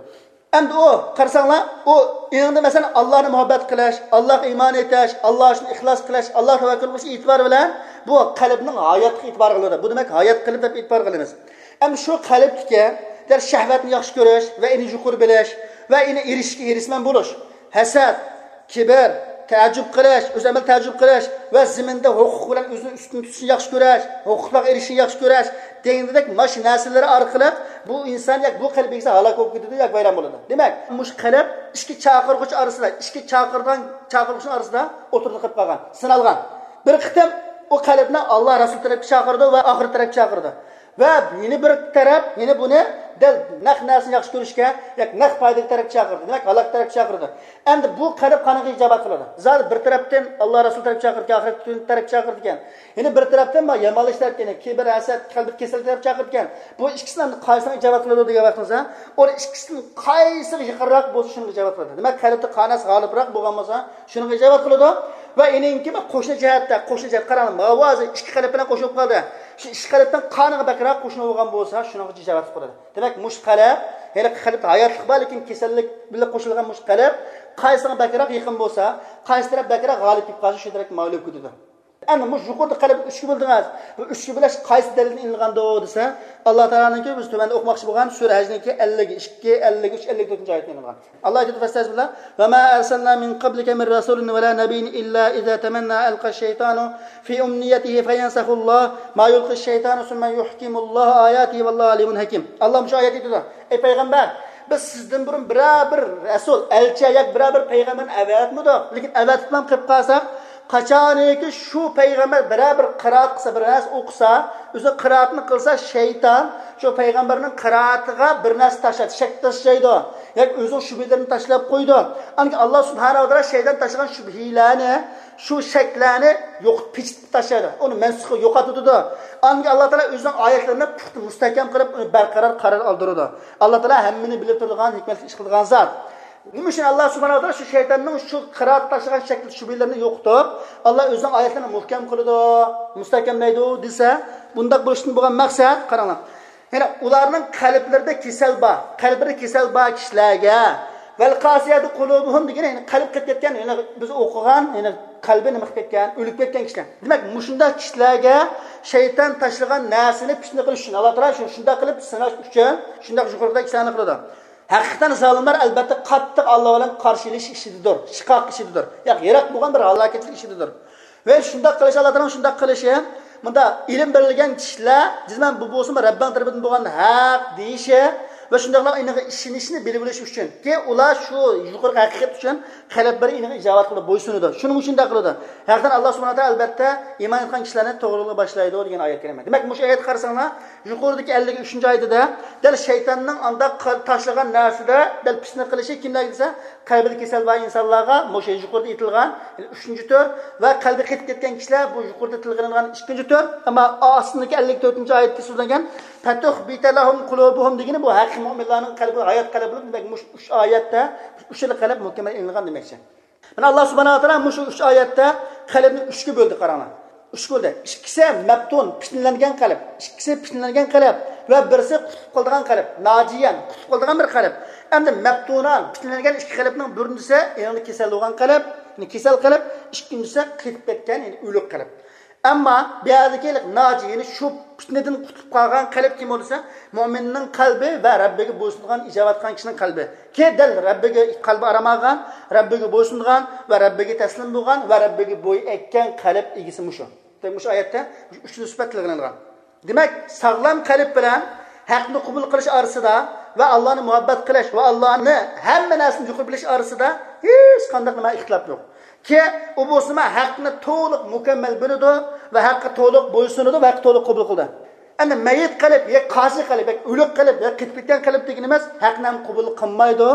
ئەمدى ئۇ، قارىساڭلار، ئۇ ئېڭىدا، مەسىلەن، ئاللانى مۇھەببەت قىلىش، ئاللاغا ئىمان ئېيتىش، ئاللا ئۈچۈن ئىخلاس قىلىش، ئاللاغا تەۋەككۈل قىلىش ئېتىبارى بىلەن بۇ قەلبنىڭ ھاياتلىقى ئېتىبار قىلىدۇ. بۇ دېمەك، ھايات قەلب دەپ ئېتىبار قىلىمىز. ئەمدى شۇ قەلبتىكى دەل شەھۋەتنى ياخشى كۆرۈش ۋە ئۇنى يۇقىرى بىلىش ۋە ئۇنى ئېرىشىشكە ھېرىسمەن بولۇش، ھەسەت، كىبىر، تەئەججۈپ قىلىش، ئۆز ئەمەل تەئەججۈپ قىلىش ۋە زېمىندا ھوقۇق بىلەن ئۆزىنى ئۈستۈن تۇتۇشنى ياخشى كۆرۈش، ھوقۇقلارغا ئېرىشىشنى ياخشى كۆرۈش دېگەندەك ماشۇ نەرسىلىرى ئارقىلىق بۇ ئىنسان ياكى بۇ قەلب ئىگىسى ھالاك بولۇپ كېتىدۇ ياكى ۋەيران بولىدۇ. دېمەك، مۇشۇ قەلب ئىككى چاقىرغۇچ ئارىسىدا، ئىككى چاقىرغان، چاقىرغۇچنىڭ ئارىسىدا ئوتتۇرىدا قېلىپ قالغان، سىنالغان. بىر قېتىم ئۇ قەلبنى ئاللا رەسۇل تەرەپكە چاقىرىدۇ ۋە ئاخىرەت تەرەپكە چاقىرىدۇ. ۋە يەنە بىر تەرەپ، يەنە بۇنى دەل نەق نەرسىنى ياخشى كۆرۈشكە، ياكى نەق پايدىلىق تەرەپكە چاقىرىدۇ. دېمەك، ھالاك تەرەپكە چاقىرىدۇ. ئەمدى بۇ قەلب قانىغا ئىجابەت قىلىدۇ؟ زادى بىر تەرەپتىن ئاللا رەسۇل تەرەپكە چاقىرىدىكەن، ئاخىرەت كۈنى تەرەپكە چاقىرىدىكەن. يەنە بىر تەرەپتىن بار يامانلىق تەرەپكە، يەنە كىبىر، ھەسەت، قەلبى كېسەل تەرەپكە چاقىرىدىكەن. بۇ ئىككىسىنى ئەمدى قايسىغا ئىجابەت قىلىدۇ دېگەن ۋاقتىمىزدا، ئۇ ئىككىسىدىن قايسىغا يېقىنراق بولسا، شۇنىڭغا ئىجابەت قىلىدۇ. دېمەك، قەلبتە قانىسى غالىبراق بولغان بولسا، شۇنىڭغا ئىجابەت قىلىدۇ. ۋە ئېنىڭكى قوشنا جەھەتتە، قوشنا جەھەت قاراڭ، ماۋۇ ھازىر ئىككى قەلب بىلەن قوشۇلۇپ قالدى. شۇ ئىككى قەلبتىن قانىغا بەكرەك قوشنا بولغان بولسا، شۇنىڭغا ئىجابەت قىلىدۇ. دېمەك، مۇشۇ قەلب، ھېلىقى قەلبتە ھاياتلىق بار، لېكىن كېسەللىك بىلەن قوشۇلغان مۇشۇ قەلب قايسىغا بەكرەك يېقىن بولسا، قايسى تەرەپ بەكرەك غالىب كېلىپ قالسا، شۇ تەرەپكە مايىل بولۇپ كېتىدۇ. ئەمدى مۇشۇ يۇقىرىدا قەلب ئۈچكە بۆلدىڭىز. بۇ ئۈچكە بۆلۈش قايسى دەلىلدىن ئېلىنغاندۇ دېسە، ئاللا تائالانىڭكى بىز تۆۋەندە ئوقۇماقچى بولغان سۈرە ھەجنىڭكى ئەللىك ئىككى، ئەللىك ئۈچ، ئەللىك تۆتىنچى ئايەتتىن ئېلىنغان. ئاللا ئېيتىدۇ، فەستەئىزبىللا، وما أرسلنا من قبلك من رسول ولا نبي إلا إذا تمنى ألقى الشيطان في أمنيته فينسخ الله ما يلقي الشيطان ثم يحكم الله آياته والله عليم حكيم. ئاللا مۇشۇ ئايەتتە ئېيتىدۇ، ئەي پەيغەمبەر، بىز سىزدىن بۇرۇن بىرەر بىر رەسۇل، ئەلچى ياكى بىرەر بىر پەيغەمبەرنى ئەۋەتمىدۇق. لېكىن ئەۋەتىپلا قېلىپ قالساق، قاچانكى شۇ پەيغەمبەر بىرەر بىر قىرائەت قىلسا، بىر نەرسە ئوقۇسا، ئۆزى قىرائەتنى قىلسا، شەيتان شۇ پەيغەمبەرنىڭ قىرائىتىغا بىر نەرسە تاشلايدۇ، شەك تاشلايدۇ. ياكى ئۆزىنىڭ شۈبھىلىرىنى تاشلاپ قويىدۇ. ئاندىن ئاللا سۇبھانەھۇ ۋە تائالا شەيتان تاشلىغان شۈبھىلەرنى، شۇ شەكلەرنى يوقىتىپ، پېچىتىپ تاشلايدۇ. ئۇنى مەنسۇخ، يوقاتىدۇ. ئاندىن ئاللا تائالا ئۆزىنىڭ ئايەتلىرىنى پۇختا، مۇستەھكەم قىلىپ، ئۇنى بەرقارار قارار ئالدۇرىدۇ. ئاللا تائالا ھەممىنى بىلىپ تۇرىدىغان، ھېكمەتلىك ئىش قىلىدىغان زات. نېمە ئۈچۈن ئاللا سۇبھانەھۇ ۋە تائالا شۇ شەيتاننىڭ شۇ قىرائەت تاشلىغان شەكلى شۈبھىلىرىنى يوقىتىپ، ئاللا ئۆزىنىڭ ئايەتلىرىنى مۇھكەم قىلىدۇ، مۇستەھكەملەيدۇ دېسە، بۇنداق بولۇشتىن بولغان مەقسەت، قاراڭلار. يەنى ئۇلارنىڭ قەلبلىرىدە كېسەل بار، قەلبىدە كېسەل بار كىشىلەرگە، ۋەل قاسىيەتۇ قۇلۇبۇھۇم دېگىنى، يەنى قەلب قېتىپ كەتكەن، يەنى بىز ئوقۇغان، يەنى قەلبى نېمە قىلىپ كەتكەن، ئۆلۈپ كەتكەن كىشىلەر. دېمەك، مۇشۇنداق كىشىلەرگە شەيتان تاشلىغان نەرسىنى پىتنە قىلىش ئۈچۈن، ئاللا تائالا شۇ، شۇنداق قىلىپ سىناش ئۈچۈن، شۇنداق يۇقىرىقىدەك ئىشلارنى قىلىدۇ. ھەقىقەتەن زالىملار ئەلبەتتە قاتتىق ئاللا بىلەن قارشى ئېلىش ئىچىدىدۇر، شىقاق ئىچىدىدۇر. ياق، يىراق بولغان بىر ھالاكەتلىك ئىچىدىدۇر. ۋە شۇنداق قىلىش، ئاللا تائالانىڭ شۇنداق قىلىشى، مۇندا ئىلىم بېرىلگەن كىشىلەر جەزمەن بۇ بولسىمۇ رەببىڭ تەرىپىدىن بولغان ھەق دېيىشى ۋە شۇنداقلا ئۇنىڭغا ئىشىنىشنى بىلىۋېلىش ئۈچۈن. كېيىن ئۇلار شۇ يۇقىرىقى ھەقىقەت ئۈچۈن قەلبلىرى ئۇنىڭغا ئىجابەت قىلىپ بويسۇنىدۇ. شۇنىڭ ئۈچۈن شۇنداق قىلىدۇ. ھەقىقەتەن ئاللا سۇبھانەھۇ ۋە تائالا ئەلبەتتە ئىمان ئېيتقان كىشىلەرنى توغرىلىققا باشلايدۇ دېگەن ئايەت كەرىمە. دېمەك، مۇشۇ ئايەتكە قارىساڭلار، يۇقىرىدىكى ئەللىك ئۈچىنچى ئايىتىدە دەل شەيتاننىڭ ئانداق قىل-، تاشلىغان نەرسىدە دەل پىتنە قىلىشى كىملەرگە دېسە، قەلبىدە كېسەل بار ئىنسانلارغا، مۇشۇ يۇقىرىدا ئېيتىلغان، يەنى ئۈچىنچى تۈر ۋە قەلبى قېتىپ كەتكەن كىشىلەر، بۇ يۇقىرىدا تىلغا ئېلىنغان ئىككىنچى تۈر. ئەمما ئاستىدىكى ئەللىك تۆتىنچى ئايەتتە سۆزلەنگەن فەتۇخبىتە لەھۇم قۇلۇبۇھۇم دېگىنى بۇ ھەقىقىي مۆمىنلارنىڭ قەلبى ھايات قەلب بولۇپ، دېمەك، مۇشۇ ئۈچ ئايەتتە ئۈچ خىل قەلب مۇكەممەل ئېلىنغان دېمەكچى. مانا، ئاللا سۇبھانەھۇ ۋە تائالا مۇشۇ ئۈچ ئايەتتە قەلبنى ئۈچكە بۆلدى، قاراڭلار. ئۈچكە بۆلدى. ئىككىسى مەپتۇن، پىتنىلەنگەن قەلب. ئىككىسى پىتنىلەنگەن قەلب ۋە بىرسى قۇتۇلۇپ قالىدىغان قەلب. ناجىيەن، قۇتۇلۇپ قالىدىغان بىر قەلب. ئەمدى مەپتۇنان، پىتنىلەنگەن ئىككى قەلبنىڭ بىرىنچىسى ئېڭىدا كېسەل بولغان قەلب، يەنى كېسەل قەلب، ئىككىنچىسى قېتىپ كەتكەن، يەنى ئۆلۈك قەلب. ئەمما بۇ يەردىكى ناجى، يەنى شۇ پىتنىدىن قۇتۇلۇپ قالغان قەلب كىم بولسا، مۆمىننىڭ قەلبى ۋە رەببىگە بويسۇنىدىغان، ئىجابەت قىلغان كىشىنىڭ قەلبى. كى دەل رەببىگە قەلبى ئارام ئالغان، رەببىگە بويسۇنىدىغان ۋە رەببىگە تەسلىم بولغان ۋە رەببىگە بويۇن ئەگكەن قەلب ئىگىسى مۇشۇ. دېمەك، مۇشۇ ئايەتتە ئۈچىنچى سۈپەت تىلغا ئېلىنغان. دېمەك، ساغلام قەلب بىلەن ھەقنى قوبۇل قىلىش ئارىسىدا ۋە ئاللانى مۇھەببەت قىلىش ۋە ئاللانى ھەممە نەرسىدىن يۇقىرى بىلىش ئارىسىدا ھېچقانداق نېمە ئىختىلاپ يوق. كى ئۇ بولسىمۇ ھەقنى تولۇق مۇكەممەل بىلىدۇ ۋە ھەققە تولۇق بويسۇنىدۇ ۋە ھەققە تولۇق قوبۇل قىلىدۇ. ئەمدى مەييىت قەلب، يا قاسىي قەلب، يا ئۆلۈك قەلب، يا قېتىپ كەتكەن قەلب دېگىنىمىز ھەقنى ھەم قوبۇل قىلمايدۇ،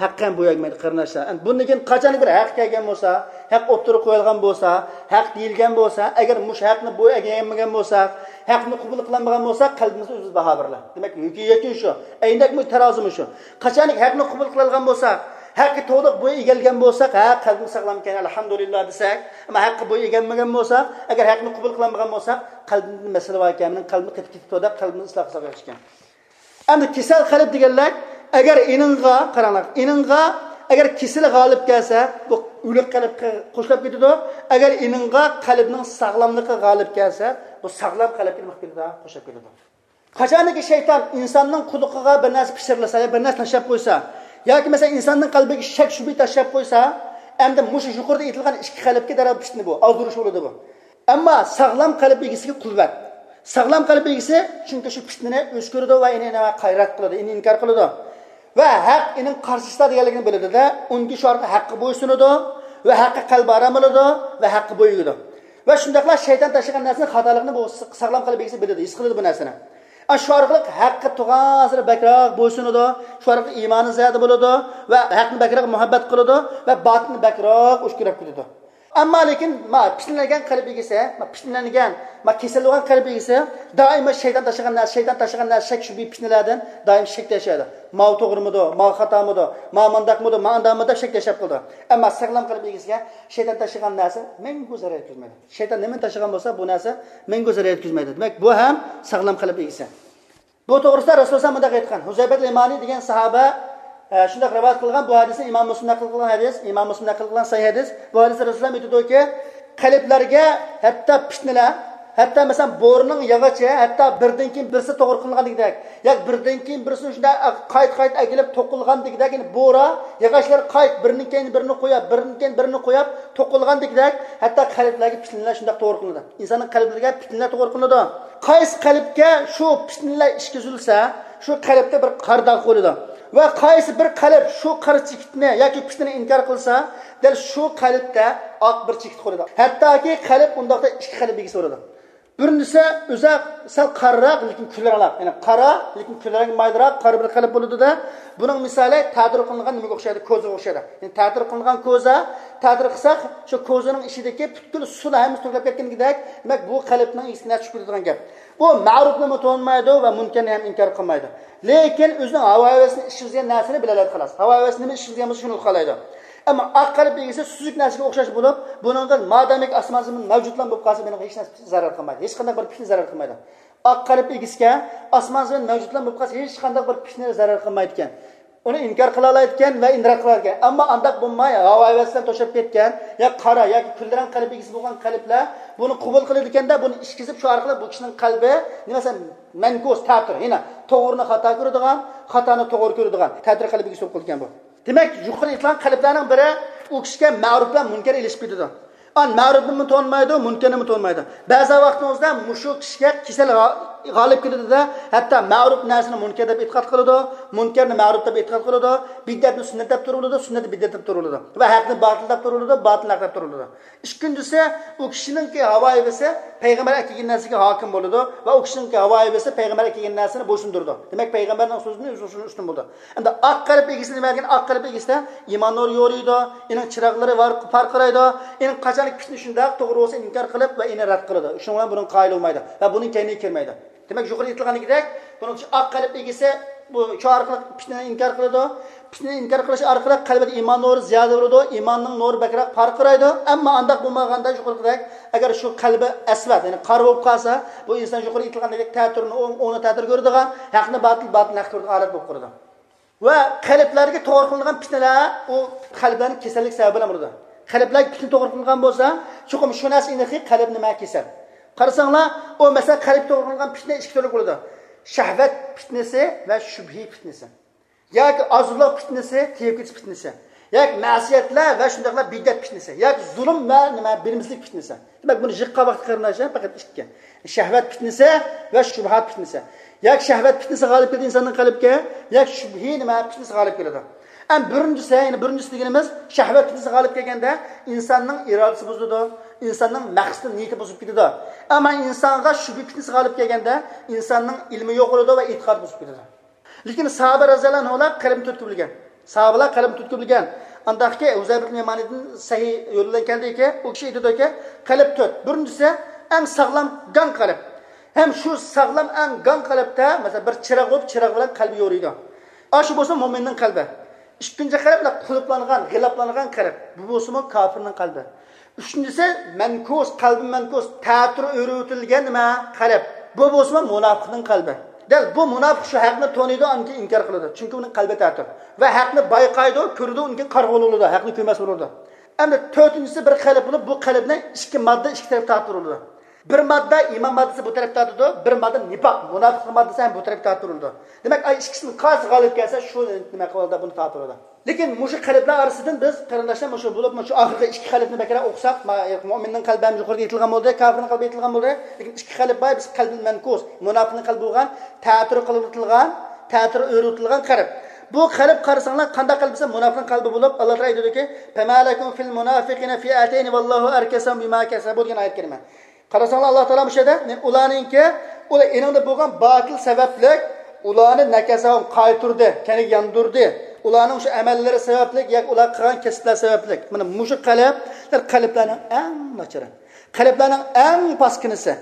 ھەق ھەم بويۇن ئەگمەيدۇ، قېرىنداشلار. ئەمدى بۇندىن كېيىن قاچانكى بىر ھەق كەلگەن بولسا، ھەق ئوتتۇرىغا قويۇلغان بولسا، ھەق دېيىلگەن بولسا، ئەگەر مۇشۇ ھەقنى بويۇن ئەگمىگەن بولساق، ھەقنى قوبۇل قىلالمىغان بولساق، قەلبىمىزدە ئۆزىمىز باھا بېرىلە. دېمەك، يەكۈن شۇ. ئەينەك مۇ تەرازىمۇ شۇ. قاچانكى ھەقنى قوبۇل قىلالىغان بولساق، ھەققە تولۇق بويۇن ئېگەلگەن بولساق، ھە، قەلبىم ساغلامكەن، ئەلھەمدۇلىللا دېسەك، ئەمما ھەققە بويۇن ئېگەلمىگەن بولساق، ئەگەر ھەقنى قوبۇل قىلالمىغان بولساق، قەلبىمدە مەسىلە باركەن، مېنىڭ قەلبىم قېتىپ كېتىپتۇ دەپ قەلبىمنى ئىسلاھ قىلساق ياخشىكەن. ئەمدى كېسەل قەلب دېگەنلەر، ئەگەر ئېنىڭغا، قاراڭلار، ئېنىڭغا ئەگەر كېسىلى غالىب كەلسە، بۇ ئۆلۈك قەلبكە قوشۇلۇپ كېتىدۇ. ئەگەر ئېنىڭغا قەلبنىڭ ساغلاملىقى غالىب كەلسە، بۇ ساغلام قەلبكە نېمە قىلىپ كېتىدۇ؟ قوشۇلۇپ كېتىدۇ. قاچانكى شەيتان ئىنساننىڭ قۇلىقىغا بىر نەرسە پىچىرلىسا يا بىر نەرسە تاشلاپ قويسا، ياكى مەسىلەن ئىنساننىڭ قەلبىگە شەك شۈبھە تاشلاپ قويسا، ئەمدى مۇشۇ يۇقىرىدا ئېيتىلغان ئىككى قەلبكە دەرھال پىتنە بۇ، ئازدۇرۇش بولىدۇ بۇ. ئەمما ساغلام قەلب ئىگىسىگە قۇۋۋەت. ساغلام قەلب ئىگىسى، چۈنكى شۇ پىتنىنى ئۆچ كۆرىدۇ ۋە ئېنى، ئېنى قايرات قىلىدۇ، ئېنى ئىنكار قىلىدۇ. ۋە ھەق ئېنىڭ قارشىسىدا دېگەنلىكىنى بىلىدۇ-دە، ئۇنىڭ شۇ ئارقىلىق ھەققە بويسۇنىدۇ ۋە ھەققە قەلبى ئارام ئالىدۇ ۋە ھەققە بويۇن ئېگىدۇ. ۋە شۇنداقلا شەيتان تاشلىغان نەرسىنىڭ خاتالىقىنى بۇ ساغلام قەلب ئىگىسى بىلىدۇ، ھېس قىلىدۇ بۇ نەرسىنى. ئا، شۇ ئارقىلىق ھەققە تۇغانسېرى بەكرەك بويسۇنىدۇ، شۇ ئارقىلىق ئىمانى زىيادە بولىدۇ ۋە ھەقنى بەكرەك مۇھەببەت قىلىدۇ ۋە باتىلنى بەكرەك ئۆچ كۆرۈپ كېتىدۇ. ئەمما لېكىن، ما، پىتنىلەنگەن قەلب ئىگىسى، ما، پىتنىلەنگەن، ما، كېسەل بولغان قەلب ئىگىسى دائىما شەيتان تاشلىغان نەرسە، شەيتان تاشلىغان نەرسە، شەك شۈبھە پىتنىلەردىن دائىم شەك تاشلايدۇ. ماۋۇ توغرىمىدۇ، ماۋۇ خاتامىدۇ، ماۋۇ مانداقمىدۇ، ماۋۇ ئانداقمىدۇ دەپ شەك تاشلاپ قىلىدۇ. ئەمما ساغلام قەلب ئىگىسىگە شەيتان تاشلىغان نەرسە مەڭگۈ زەرەر يەتكۈزمەيدۇ. شەيتان نېمىنى تاشلىغان بولسا، بۇ نەرسە مەڭگۈ زەرەر يەتكۈزمەيدۇ. دېمەك، بۇ ھەم ساغلام قەلب ئىگىسى. بۇ توغرىسىدا رەسۇلۇللا مۇنداق ئېيتقان، ھۇزەيپەت يەمانى دېگەن ساھابە، ئە، شۇنداق رىۋايەت قىلغان، بۇ ھەدىسنى ئىمام مۇسلىم نەقىل قىلغان ھەدىس، ئىمام مۇسلىم نەقىل قىلغان سەھىھ ھەدىس. بۇ ھەدىستە رەسۇلۇللا ئېيتىدۇكى، قەلبلەرگە ھەتتا پىتنىلەر، ھەتتا مەسىلەن، بورىنىڭ ياغىچى، ھەتتا بىردىن كېيىن بىرسى توغرا قىلىنغاندىكىدەك، ياكى بىردىن كېيىن بىرسىنى شۇنداق قايتا-قايتا ئەكېلىپ توقۇلغاندىكىدەك، يەنى بورا، ياغاچلار قايتا بىرىنىڭ كەينىدىن بىرىنى قويۇپ، بىرىنىڭ كەينىدىن بىرىنى قويۇپ توقۇلغاندىكىدەك، ھەتتا قەلبلەرگە پىتنىلەر شۇنداق توغرا قىلىنىدۇ. ئىنساننىڭ قەلبلىرىگە پىتنىلەر توغرا قىلىنىدۇ. قايسى قەلبكە شۇ پىتنىلەر ئىچكۈزۈلسە، شۇ قەلبتە بىر قارا داغ قويۇلىدۇ. ۋە قايسى بىر قەلب شۇ قارا چېكىتنى ياكى پىتنىنى ئىنكار قىلسا، دەل شۇ قەلبتە ئاق بىر چېكىت قويۇلىدۇ. ھەتتاكى قەلب ئۇنداقتا ئىككى قەلب ئىگىسى بولىدۇ. بىرىنچىسى ئۆزى سەل قارىراق، لېكىن كۈلرەڭلەپ، يەنى قارا، لېكىن كۈلرەڭگە مايلىراق، قارا بىر قەلب بولىدۇ-دە. بۇنىڭ مىسالى تەتۈر قىلىنغان نېمىگە ئوخشايدۇ؟ كوزىغا ئوخشايدۇ. يەنى تەتۈر قىلىنغان كوزا، تەتۈر قىلساق، شۇ كوزىنىڭ ئىچىدىكى پۈتكۈل سۇلار ھەممىسى تۆكۈلۈپ كەتكەندىكىدەك، دېمەك، بۇ قەلبنىڭ ئىگىسىگە نەرسە چۈشۈپ كېتىدىغان گەپ. ئۇ مەرۇپنىمۇ تونۇمايدۇ ۋە مۇنكەرنى ھەم ئىنكار قىلمايدۇ. لېكىن ئۆزىنىڭ ھاۋا ھەۋەسىنى ئىچكۈزگەن نەرسىنى بىلەلەيدۇ، خالاس. ھاۋا ھەۋەسى نېمە ئىچكۈزگەن بولسا، شۇنى ئۇقالايدۇ. ئەمما ئاق قەلب ئىگىسى سۈزۈك نەرسىگە ئوخشاش بولۇپ، بۇنىڭغا مادامىكى ئاسمان زېمىن مەۋجۇتلا بولۇپ قالسا، مېنىڭ ھېچ نەرسە زەرەر قىلمايدۇ. ھېچقانداق بىر پىتنە زەرەر قىلمايدۇ. ئاق قەلب ئىگىسىگە ئاسمان زېمىن مەۋجۇتلا بولۇپ قالسا، ھېچقانداق بىر پىتنە زەرەر قىلمايدىكەن. ئۇنى ئىنكار قىلالايدىكەن ۋە ئىنكار قىلىدىكەن. ئەمما ئانداق بولماي، ھاۋا ھەۋەس بىلەن توشۇپ كەتكەن، يا قارا ياكى كۈلدىرەڭ قەلب ئىگىسى بولغان قەلبلەر بۇنى قوبۇل قىلىدىكەندە، بۇنى ئىچكۈزۈپ، شۇ ئارقىلىق بۇ كىشىنىڭ قەلبى، نېمە دېسەم، مەنكۇس، تەتۈر، يەنى توغرىنى خاتا كۆرىدىغان، خاتانى توغرا كۆرىدىغان تەتۈر قەلب ئىگىسى بولۇپ قالىدىكەن بۇ. دېمەك، يۇقىرى ئېيتىلغان قەلبلەرنىڭ بىرى ئۇ كىشىگە مەرۇپ بىلەن مۇنكەر ئېلىشىپ كېتىدۇ. ئان مەرۇپنىمۇ تونۇمايدۇ، مۇنكەرنىمۇ تونۇمايدۇ. بەزى ۋاقىتنىڭ ئۆزىدە مۇشۇ كىشىگە كېسەل غا-، غالىب كېلىدۇ-دە، ھەتتا مەرۇپ نەرسىنى مۇنكەر دەپ ئېتىقاد قىلىدۇ، مۇنكەرنى مەرۇپ دەپ ئېتىقاد قىلىدۇ، بىدئەتنى سۈننەت دەپ تۇرۇۋالىدۇ، سۈننەتنى بىدئەت دەپ تۇرۇۋالىدۇ ۋە ھەقنى باتىل دەپ تۇرۇۋالىدۇ، باتىلنى ھەق دەپ تۇرۇۋالىدۇ. ئىككىنچىسى، ئۇ كىشىنىڭكى ھاۋا ھەۋىسى پەيغەمبەر ئەكەلگەن نەرسىگە ھاكىم بولىدۇ ۋە ئۇ كىشىنىڭكى ھاۋا ھەۋىسى پەيغەمبەر ئەكەلگەن نەرسىنى بويسۇندۇرىدۇ. دېمەك، پەيغەمبەرنىڭ سۆزىدىن ئۆزى شۇنى ئۈستۈن بولىدۇ. ئەمدى ئاق قەلب ئىگىسى نېمە دېگەن؟ ئاق قەلب ئىگىسىدە ئىمان نۇرى يورۇيدۇ، ئېنىڭ چىراغلىرى ۋار-، پارقىرايدۇ. ئېنىڭ قاچانكى پىتنە شۇنداق توغرا بولسا ئىنكار قىلىپ ۋە ئېنى رەت قىلىدۇ. شۇنىڭ بىلەن بۇنىڭ قايىل بولمايدۇ ۋە بۇنىڭ كەينىگە كىرمەيدۇ. دېمەك، يۇقىرىدا ئېيتىلغاندىكىدەك، بۇنىڭ ئۈچۈن ئاق قەلب ئىگىسى بۇ شۇ ئارقىلىق پىتنىنى ئىنكار قىلىدۇ. پىتنىنى ئىنكار قىلىش ئارقىلىق قەلبىدە ئىمان نۇرى زىيادە بولىدۇ، ئىماننىڭ نۇرى بەكرەك پارقىرايدۇ. ئەمما ئانداق بولمىغاندا، يۇقىرىقىدەك، ئەگەر شۇ قەلبى ئەسۋەد، يەنى قارا بولۇپ قالسا، بۇ ئىنسان يۇقىرى ئېيتىلغاندەك تەتۈرنى ئوڭ، ئوڭنى تەتۈر كۆرىدىغان، ھەقنى باتىل، باتىلنى ھەق كۆرىدىغان ھالەت بولۇپ قالىدۇ. ۋە قەلبلەرگە توغرا قىلىنغان پىتنىلەر ئۇ قەلبلەرنىڭ كېسەللىك سەۋەبى بىلەن بولىدۇ. قەلبلەرگە پىتنە توغرا قىلىنغان بولسا، چوقۇم شۇ نەرسە ئېنىقكى، قەلب نېمە؟ كېسەل. قارىساڭلار، ئۇ مەسىلەن، قەلب توغرا قىلىنغان پىتنە ئىككى تۈرلۈك بولىدۇ. شەھۋەت پىتنىسى ۋە شۈبھە پىتنىسى. ياكى ئازلىق پىتنىسى، تېگىپ كېتىش پىتنىسى. ياكى مەسىيەتلەر ۋە شۇنداقلا بىدئەت پىتنىسى. ياكى زۇلۇم ۋە نېمە، بىلىمسىزلىك پىتنىسى. دېمەك، بۇنى يىغقان ۋاقىتتا قېرىنداشلار پەقەت ئىككى. شەھۋەت پىتنىسى ۋە شۇبھات پىتنىسى. ياكى شەھۋەت پىتنىسى غالىب كېلىدۇ ئىنساننىڭ قەلبىگە، ياكى شۈبھە نېمە پىتنىسى غالىب كېلىدۇ. ئەمما بىرىنچىسى، يەنى بىرىنچىسى دېگىنىمىز، شەھۋەت پىتنىسى غالىب كەلگەندە ئىنساننىڭ ئىرادىسى بۇزۇلىدۇ، ئىنساننىڭ مەقسىتى، نىيىتى بۇزۇلۇپ كېتىدۇ. ئەمما ئىنسانغا شۈبھە پىتنىسى غالىب كەلگەندە ئىنساننىڭ ئىلمى يوقىلىدۇ ۋە ئېتىقادى بۇزۇلۇپ كېتىدۇ. لېكىن ساھابە رەزىياللاھۇ ئەنھۇلار قەلبىنى تۆتكە بۆلگەن. ساھابىلار قەلبنى تۆتكە بۆلگەن. ئانداقكى ھۇزەيپە ئىبن يامانىدىن سەھىھ يول بىلەن كەلدىكى، ئۇ كىشى ئېيتىدۇكى، قەلب تۆت. بىرىنچىسى، ئەڭ ساغلام گاڭ قەلب. ھەم شۇ ساغلام ئەڭ گاڭ قەلبتە، مەسىلەن، بىر چىراغ بولۇپ، چىراغ بىلەن قەلبى يورۇيدۇ. ئاشۇ بولسا مۆمىننىڭ قەلبى. ئىككىنچى قەلب، قۇلۇپلانغان، غىلاپلانغان قەلب. بۇ بولسىمۇ كاپىرنىڭ قەلبى. ئۈچىنچىسى، مەنكۇس، قەلبى مەنكۇس، تەتۈر ئۆرۈۋېتىلگەن نېمە؟ قەلب. بۇ بولسىمۇ مۇناپىقنىڭ قەلبى. دەل بۇ مۇناپىق شۇ ھەقنى تونۇيدۇ، ئاندىن كېيىن ئىنكار قىلىدۇ. چۈنكى ئۇنىڭ قەلبى تەتۈر. ۋە ھەقنى بايقايدۇ، كۆرىدۇ، ئۇنىڭ كېيىن قارىغۇ بولىدۇ، ھەقنى كۆرمەس بولىدۇ. ئەمدى تۆتىنچىسى بىر قەلب بولۇپ، بۇ قەلبنى ئىككى ماددا ئىككى تەرەپكە تارتىۋېتىدۇ. بىر ماددا ئىمان ماددىسى بۇ تەرەپكە تارتىدۇ، بىر ماددا نىپاق، مۇناپىقلىق ماددىسى ھەم بۇ تەرەپكە تارتىۋېتىدۇ. دېمەك، ئاي ئىككىسىنىڭ قايسى غالىب كەلسە، شۇ نېمە قىلىدۇ، بۇنى تارتىۋېتىدۇ. لېكىن مۇشۇ قەلبلەر ئارىسىدىن بىز، قېرىنداشلار، مۇشۇ بولۇپ، مۇشۇ ئاخىرقى ئىككى قەلبنى بەكرەك ئوقۇساق، ما-، مۆمىننىڭ قەلبى ھەم يۇقىرىدا ئېيتىلغان بولدى، كاپىرنىڭ قەلبى ئېيتىلغان بولدى. لېكىن ئىككى قەلب بار، بىز قەلبى مەنكۇس، مۇناپىقنىڭ قەلبى بولغان، تەتۈر قىلىۋېتىلغان، تەتۈر ئۆرۈۋېتىلغان قەلب. بۇ قەلب قارىساڭلار، قانداق قەلب دېسە، مۇناپىقنىڭ قەلبى بولۇپ، ئاللا تائالا ئېيتىدۇكى، فما لكم في المنافقين فئتين والله أركسهم بما كسبوا دېگەن ئايەت كەرىمە. قارىساڭلار، ئاللا تائالا مۇشۇ يەردە، نى-، ئۇلارنىڭكى، ئۇلار ئېنىڭدا بولغان باتىل سەۋەبلىك، ئۇلارنى نەكەسەھۇم قايتۇردى، كەينىگە ياندۇردى. ئۇلارنىڭ شۇ ئەمەللىرى سەۋەبلىك ياكى ئۇلار قىلغان كەسىپلەر سەۋەبلىك. مانا مۇشۇ قەلب، قەلبلەرنىڭ ئەڭ ناچىرى، قەلبلەرنىڭ ئەڭ پاسكىنىسى.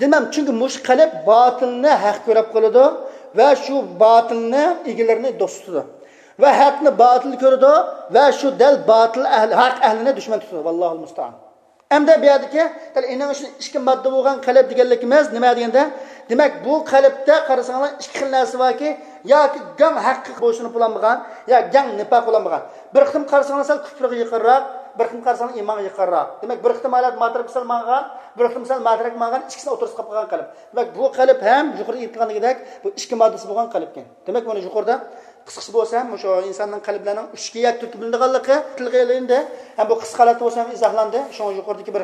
دېمەم، چۈنكى مۇشۇ قەلب باتىلنى ھەق كۆرۈپ قالىدۇ ۋە شۇ باتىلنى ئىگىلىرىنى دوست تۇتىدۇ. ۋە ھەقنى باتىل كۆرىدۇ ۋە شۇ دەل باتىل ئەھلى، ھەق ئەھلىنى دۈشمەن تۇتىدۇ. ۋاللاھۇل مۇستەئان. ئەمدى بۇ يەردىكى دەل ئېنىڭ ئۈچۈن ئىككى ماددا بولغان قەلب دېگەنلىكىمىز نېمە دېگەندە، دېمەك، بۇ قەلبتە قارىساڭلار ئىككى خىل نەرسە باركى، ياكى گاڭ ھەققە بويسۇنۇپ بولالمىغان، يا گاڭ نىپاق بولالمىغان. بىر قېتىم قارىساڭلار سەل كۇپرىغا يېقىنراق، بىر قېتىم قارىساڭلار ئىمانغا يېقىنراق. دېمەك، بىر قېتىم ھالەت ماترەك سەل ماڭغان، بىر قېتىم سەل ماترەك ماڭغان، ئىككىسىنىڭ ئوتتۇرىسىدا قېلىپ قالغان قەلب. دېمەك، بۇ قەلب ھەم يۇقىرىدا ئېيتىلغاندىكىدەك بۇ ئىككى ماددىسى بولغان قەلبكەن. دېمەك، مانا يۇقىرىدا قىسقىچە بولسا ھەم مۇشۇ ئىنساننىڭ قەلبلەرنىڭ ئۈچكە يەك تۈركۈم بۆلۈنىدىغانلىقى تىلغا ئېلىندى. ھەم بۇ قىسقا ھالەتتە بولسا ھەم ئىزاھلاندى. شۇڭا يۇقىرىدىكى بىر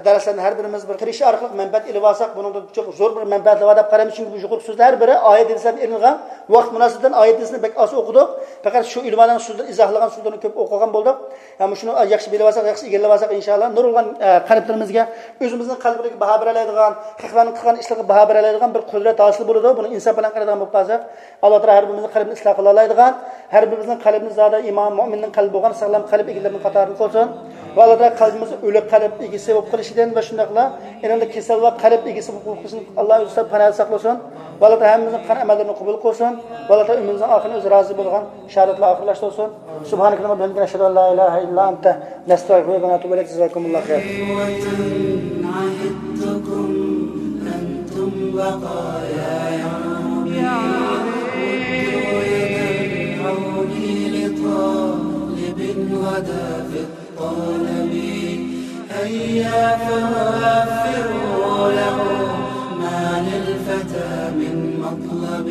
دەرسلەرنى ھەر بىرىمىز بىر قېرىشىش ئارقىلىق مەنپەئەت ئېلىۋالساق، بۇنىڭدا چوق زور بىر مەنپەئەتلەر بار دەپ قارايمىز. چۈنكى بۇ يۇقىرىقى سۆزلەر ھەر بىرى ئايەت ھەدىسلەردىن ئېلىنغان. ۋاقىت مۇناسىۋىتىدىن ئايەت ھەدىسنى بەك ئاز ئوقۇدۇق. پەقەت شۇ ئۆلىمالارنىڭ سۆزلىرى، ئىزاھلىغان سۆزلىرىنى كۆپ ئوقۇغان بولدۇق. ھەم مۇشۇنى ياخشى بىلىۋالساق، ياخشى ئىگىلىۋالساق، ئىنشاللا نۇرغۇنلىغان، ئە، قەلبلىرىمىزگە ئۆزىمىزنىڭ قەلبىگە باھا بېرەلەيدىغان، خەقلەرنىڭ قىلغان ئىشلىرىغا باھا بېرەلەيدىغان بىر قۇدرەت ھاسىل بولىدۇ. بۇنى ئىنساپ بىلەن قارايدىغان بولۇپ قالساق، ئاللا تائالا ھەر بىرىمىزنىڭ قەلبىنى ئىسلاھ قىلالايدىغان، ھەر بىرىمىزنىڭ قەلبىنى زادى ئىمان، مۆمىننىڭ قەلبى بولغان ساغلام قەلب ئىگىلىرىنىڭ قاتارىدا قىلسۇن. ۋە ئاللا تائالا قەلبىمىزنى ئۆلۈك قەلب ئىگىسى بولۇپ قېلىشىدىن ۋە شۇنداقلا ئېنىڭدا كېسەل ۋە قەلب ئىگىسى بولۇپ قېلىشىدىن ئاللا ئۆزى پاناھدا ساقلىسۇن. ۋە ئاللا تائالا ھەممىمىزنىڭ قىلغان ئەمەللىرىنى قوبۇل قىلسۇن. ۋە ئاللا تائالا ئۆمرىمىزنىڭ ئاخىرىنى ئۆزى رازى بولغان شاھادەت بىلەن ئاخىرلاشتۇرسۇن. سبحانك اللهم وبحمدك، نشهد أن لا إله إلا أنت، نستغفرك ونتوب إليك. جزاكم الله خير. عهدتكم أنتم بقايا يا ربي، ردوا يد العون لطالب غدا في الطلب. هيا فوفروا له ما للفتى من مطلب.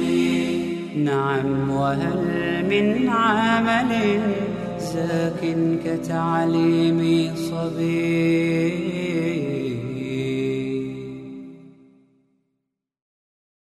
نعم، وهل من عمل زاك كتعليم صبي؟